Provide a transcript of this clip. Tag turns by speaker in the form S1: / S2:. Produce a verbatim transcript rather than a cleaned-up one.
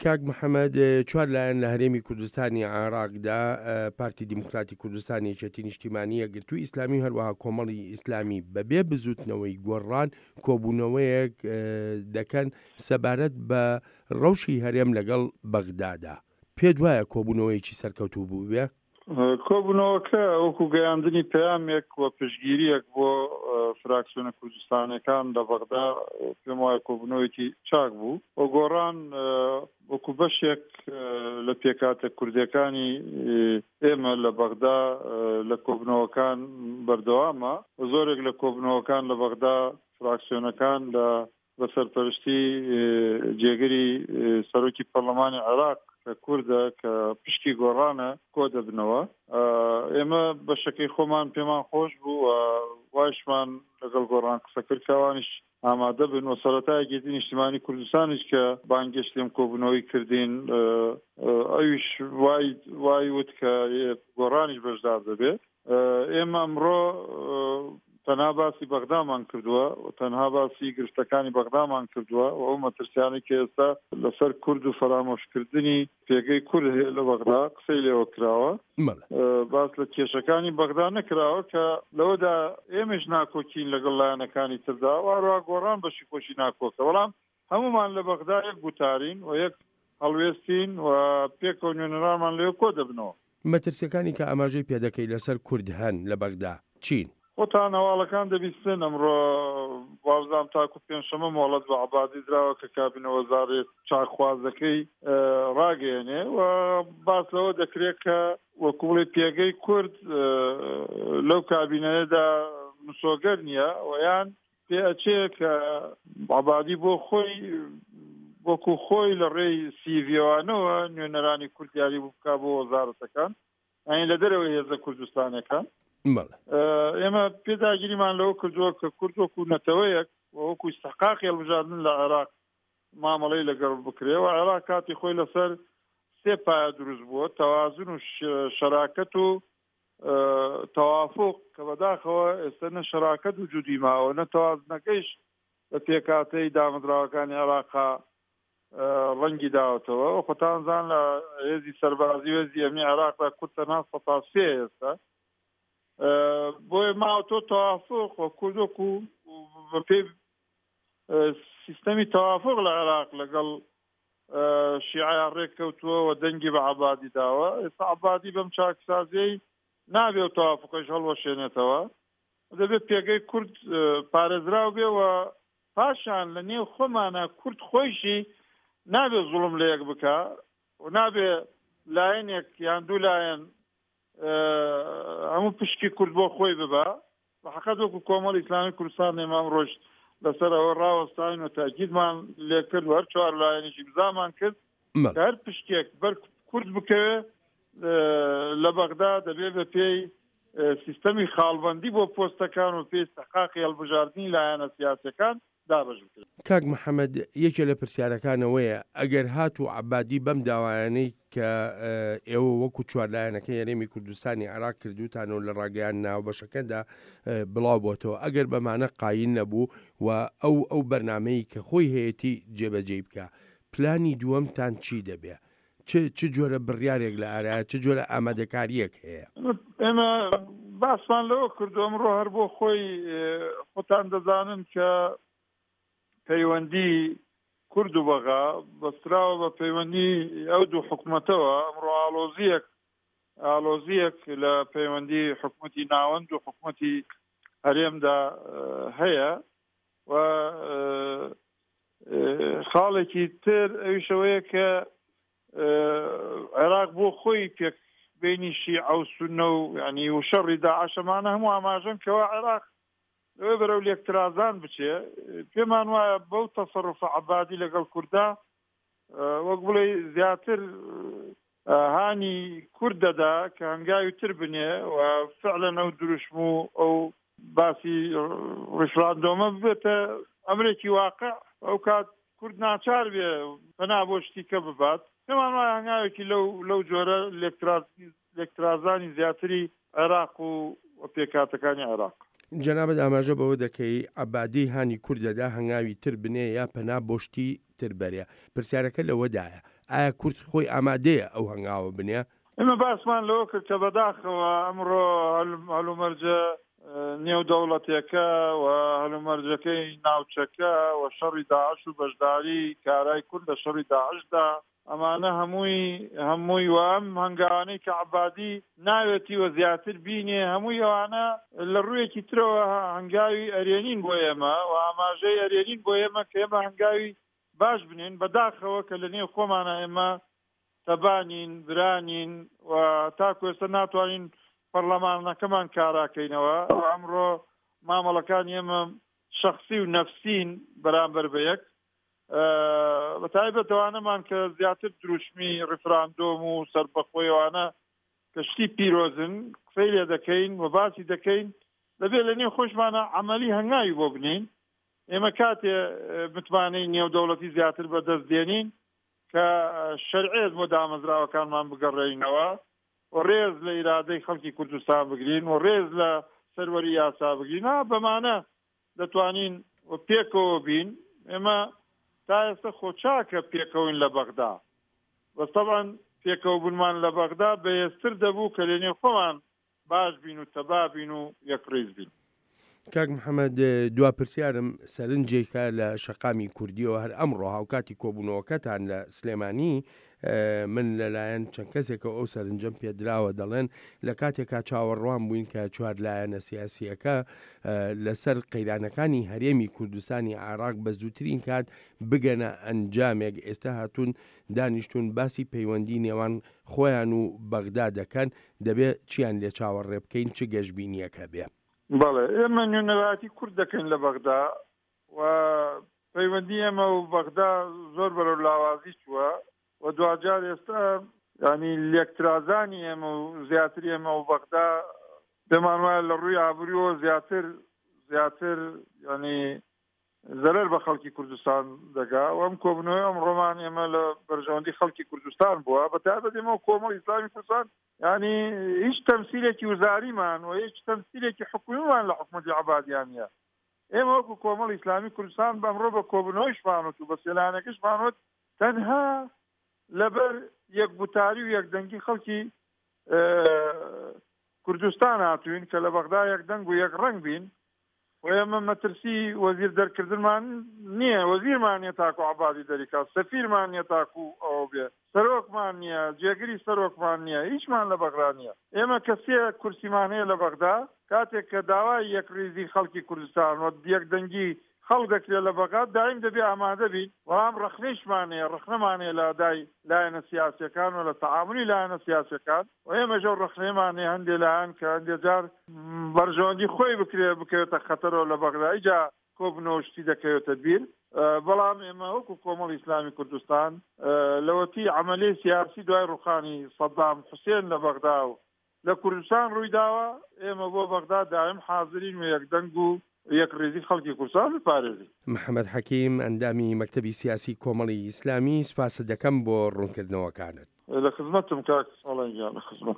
S1: کاک محەممەد، چوار لایەن لە هەرێمی کوردستانی عێراقدا، پارتی دیموکراتی کوردستان، یەکێتی نیشتیمانی، یەکگرتووی ئیسلامی و هەروەها کۆمەڵی ئیسلامی بەبێ بزووتنەوەی گۆڕان کۆبوونەوەیەک دەکەن سەبارەت بە ڕەوشی هەرێم لەگەڵ بەغدادا. پێت وایە کۆبوونەوەیەکی سەرکەوتوو بووبێ؟
S2: کۆبوونەوەکە وەکو گەیاندنی پەیامێک و پشتگیرییەک بۆ فراکسیۆنە کوردستانیەکان لە بەغدا پێم وایە کۆبوونەوەیەکی چاک بوو و گۆڕان وەکو بەشێک لە پێکهاتە کوردیەکانی ئێمە لە بەغدا لە کۆبوونەوەکان بەردەوامە و زۆرێک لە کۆبوونەوەکان لە بەغدا فراکسیۆنەکان لە بە سەرپەرشتی جێگری سەرۆکی پەرلەمانی عێراق کە کوردە کە پشکی گۆڕانە کۆ دەبنەوە. ئێمە بەشەکەی خۆمان پێمان خۆش بوو و وایشمان لەگەڵ گۆڕان قسە کرد کە ئەوانیش ئامادە بن و سەرەتا یەکێتی نیشتیمانی کوردستانیش کە بانگێشتی ئەم کۆبوونەوەی کردین ئەویش وای وای وت کە گۆڕانیش بەشدار دەبێت. ئێمە ئەمڕۆ تەنها باسی بەغدامان کردووە و تەنها باسی گرفتەکانی بەغدامان کردووە و ئەو مەترسیانەی کە ئێستا لەسەر کورد و فەرامۆشکردنی پێگەی کورد هەیە لە بەغدا قسەی لێوە کراوە. باس لە کێشەکانی بەغدا نەکراوە کە لەوەدا ئێمەش ناکۆکین لەگەڵ لایەنەکانی تردا و هەروەها گۆڕان بەشی خۆشی ناکۆکە، بەڵام هەمومان لە بەغدا یەک گوتارین و یەک هەڵوێستین و پێکەوە نوێنەرانمان لەوێ کۆ دەبنەوە.
S1: مەترسیەکانی کە ئاماژەی پێدەکەی لەسەر کورد هەن لە بەغدا چین؟
S2: خۆتان هەواڵەکان دەبیستن، ئەمڕۆ وابزانم تاکو پێنجشەممە مۆڵەت بە عەبادی دراوە کە کابینە وەزارەت چاکخوازەکەی ڕاگەیەنێ و باس لەوە دەکرێت کە وەکو بڵێ پێگەی کورد لەو کابینەیەدا مسۆگەر نییە و یان پێ ئەچێ کە عەبادی بۆ خۆی وەکو خۆی لە ڕێی سیڤیەوانەوە نوێنەرانی کورد دیاری بکا بۆ وەزارەتەکان، یعنی لە دەرەوەی هێزە کوردستانەکان. ئێمە پێداگیریمان لەوە کردووە کە کورد وەکو نەتەوەیەک و وەکو ئیستحقاقی هەڵبژاردن لە عێراق مامەڵەی لەگەڵ بکرێ و عێراق کاتی خۆی لەسەر سێ پایە دروست بووە، تەوازن و شەراکەت و تەوافق، کە بەداخەوە ئێستا نە شەراکەت وجودی ماوە نە تەوازنەکەیش بە پێکهاتەی دامەزراوەکانی عێراقا ڕەنگی داوەتەوە. خۆتان زان لە هێزی سەربازی و هێزی ئەمنی عێراقدا کورد تەنها سەتا سێ ئێستا، بۆیە ماوەتەوە تەوافق و کورد وەکو بەپێی سیستەمی تەوافق لە عێراق لەگەڵ شیعە ڕێک کەوتووە و دەنگی بە عەبادی داوە. ئێستا عەبادی بەم چاکسازیەی نابێ و تەوافقەش هەڵوەشێنێتەوە، دەبێت پێگەی کورد پارێزراو بێ و پاشان لە نێو خۆمانە کورد خۆیشی نابێ زوڵم لە یەک بکا و نابێ لایەنێک یان دوو لایەن هەموو پشکی کورد بۆ خۆی ببا. بە حەقەت وەکو کۆمەڵی ئیسلامی کوردستان ئێمە ئەمڕۆژ لەسەر ئەوە ڕاوەستاین و تاکیدمان لێکرد و هەر چوار لایەنێکی بزامان کرد کە هەر پشکێک بەر کورد بکەوێ لە بەغدا دەبێ بە پێی سیستەمی خاڵبەندی بۆ پۆستەکان و پێی استحقاقی هەڵبژاردنی لایەنە سیاسیەکان دابەش بکرێت.
S1: کاک محەممەد، یەکێ لە پرسیارەکانەوەیە ئەگەر هات و عەبادی بەم داوایانەی کە ئێوە وەکو چوار لایەنەکەی هەرێمی کوردستانی عێراق کردوتانەوە لە ڕاگەیان ناوبەشەکەدا بڵاو بۆتەوە، ئەگەر بەمانە قایل نەبوو و ئەو ئەو بەرنامەی کە خۆی هەیەتی جێبەجێی بکە، پلانی دووەمتان چی دەبێ؟ چ چ جۆرە بڕیارێک لە ئارایە، چ جۆرە ئامادەکارییەک هەیە؟
S2: ئێمە باسمان لەوە کردو ئەمڕۆ هەر بۆ خۆی خۆتان دەزانن کە پەیوەندی کورد و بەغا بەستراوە بە پەیوەندی ئەو دوو حکومەتەوە. ئەمڕۆ ئاڵۆزیەک ئاڵۆزیەک لە پەیوەندی حکومەتی ناوەند و حکومەتی هەرێمدا هەیە و خاڵێکی تر ئەویشەوەیە کە عێراق بۆ خۆی پێک بینی شیعە و سوننە و یعنی و شەڕی داعشەمانە هەموو ئاماژەن کەوا عێراق لەوێ بەرەو لێکترازان بچێ. پێمان وایە بەو تەسەڕوفە عەبادی لەگەڵ کووردا وەک بڵێ زیاتر هانی کورد دەدا کە هەنگاوی تر بنێ و فعلەن ئەو دروشم و ئەو باسی ڕیفراندۆمە ببێتە ئەمرێکی واقع. ئەو کات کورد ناچار بێ پەنا بۆ شتی کە ببات. پێمان وایە هەنگاوێکی لەو لەو جۆرە لێکترازانی زیاتری عێراق و پێکهاتەکانی عێراق.
S1: جەنابت ئاماژە بەوە دەکەی عەبادی هانی کورد دەدا هەنگاوی تر بنێ یا پەنا بۆ شتی تر بەرێ. پرسیارەکە لەوەدایە ئایا کورد خۆی ئامادەیە ئەو هەنگاوە بنێ؟
S2: ئێمە باسمان لەوە کرد کە بەداخەوە ئەمڕۆ هەلومەرجە نێودەوڵەتێکە و هەلومەرجەکەی ناوچەکە و شەڕی داعش و بەشداری کارای کورد لە شەڕی داعشدا، ئەمانە هەمووی هەمووی و ئەم هەنگاوانەی کە عەبادی ناوێتی و زیاتر بینێ، هەمووی ئەوانە لە ڕوویەکی ترەوە هەنگاوی ئەرێنین بۆ ئێمە و ئاماژەی ئەرێنین بۆ ئێمە کە ئێمە هەنگاوی باش بنێن. بەداخەوە کە لە نێو خۆمانە ئێمە تەبانین، برانین و تاکو ئێستا ناتوانین پەرلەمانەکەمان کاراکەینەوە. ئەمڕۆ مامەڵەکانی ئێمە شەخسی و نەفسین بەرامبەر بە یەک، بە تایبەت ئەوانەمان کە زیاتر دروشمی ڕیفراندۆم و سەربەخۆیەوانە کە شتی پیرۆزن قسەی لێ دەکەین و باسی دەکەین، دەبێت لە نێو خۆشمانە عەمەلی هەنگاوی بۆ بنین. ئێمە کاتێ متمانەی نێودەوڵەتی زیاتر بەدەست دێنین کە شەرعیەت بۆ دامەزراوەکانمان بگەڕێینەوە و ڕێز لە ئیرادەی خەڵکی کوردستان بگرین و ڕێز لە سەروەری یاسا بگرین. بەمانە دەتوانین پێکەوە بین. ئێمە تا ئێستا خۆچاکە پێکەوین لە بەغدا، بەس طبعاً پێکەوە بوونمان لە بەغدا بەهێزتر دەبوو کە لەنێو خۆمان باش بین و تەبا بین و یەکڕیز بین.
S1: کاک محەممەد، دوا پرسیارم سەرنجێکە لە شەقامی کوردیەوە هەر ئەمڕۆ هاوکاتی کۆبوونەوەکەتان لە سلێمانی، من لەلایەن چەند کەسێکەوە ئەو سەرنجەم پێدراوە، دەڵێن لە کاتێکا چاوەڕوان بووین کە چوار لایەنە سیاسیەکە لەسەر قەیرانەکانی هەرێمی کوردستانی عێراق بە زووترین کات بگەنە ئەنجامێک، ئێستا هاتوون دانیشتون باسی پەیوەندی نێوان خۆیان و بەغدا دەکەن، دەبێت چیان لێ چاوەڕێ بکەین، چ گەشبینیەکە بێ؟
S2: بەڵێ، ئێمە نوێنەرایەتی کورد دەکەین لە بەغدا و پەیوەندی ئێمە و بەغدا زۆر بەرەو لاوازی چووە و دواجار ئێستا ینی لێکترازانی ئێمە و زیاتر ئێمە و بەغدا پێمان وایە لە ڕووی ئابووریەوە زیاتر زیاتر ینی زەرەر بە خەڵکی کوردستان دەگا. و ئەم کۆبوونەوەی ئەم ڕۆمان ئێمە لە بەرژەوەندی خەڵکی کوردستان بووە، بە تایبەت ئێمە و کۆمەڵی ئیسلامی کوردستان ینی هیچ تەمسیلێکی وزاریمان و هیچ تەمسیلێکی حکومیمان لە حکومەتی عەبادیان نییە. ئێمە وەکو کۆمەڵی ئیسلامی کوردستان بەمڕۆ بە کۆبوونەوەیشمان وت و بە سێلانەکەشمان وت تەنها لەبەر یەکگوتاری و یەکدەنگی خەڵکی کوردستان هاتوین کە لە بەغدا یەکدەنگ و یەک ڕەنگ بین. و ئێمە مەترسی وەزیر دەرکردنمان نییە، وەزیرمان نییە تاکو عەبادی دەریکا، سەفیرمان نییە تاکو ئەوە بێ، سەرۆکمان نییە، جێگری سەرۆکمان نییە، هیچمان لە بەغدا نییە. ئێمە کە سێ کورسیمان هەیە لە بەغدا، کاتێک کە داوای یەکڕیزی خەڵکی کوردستان و یەکدەنگی خەڵک دەکرێت لە بەغدا، دایم دەبێ ئامادە بین. بەڵام ڕەخنەیشمان هەیە، ڕەخنەمان هەیە لە ئەدای لایەنە سیاسیەکان و لە تەعاملی لایەنە سیاسیەکان. و ئێمەش ئەو ڕەخنەیەمان هەیە هەندێ لایەن کە هەندێ جار بەرژەوەندی خۆی بکرێ بکەوێتە خەتەرەوە لە بەغدا، ئیجا کۆبنەوە شتی دەکەوێتە بیر. بەڵام ئێمە وەکو کۆمەڵی ئیسلامی کوردستان لەوەتی عەمەلەی سیاسی دوای ڕوخانی سەدام حوسێن لە بەغدا و لە کوردستان ڕوویداوە، ئێمە بۆ بەغدا دایم حاضرین و یەکدەنگ و یەکڕیزی خەڵکی کوردستان بپارێزین.
S1: محەممەد حەکیم، ئەندامی مەکتەبی سیاسی کۆمەڵی ئیسلامی، سپاست دەکەم بۆ ڕوونکردنەوەکانت.
S2: لە خزمەتم کاک ساڵان گیان، لە خزمەت.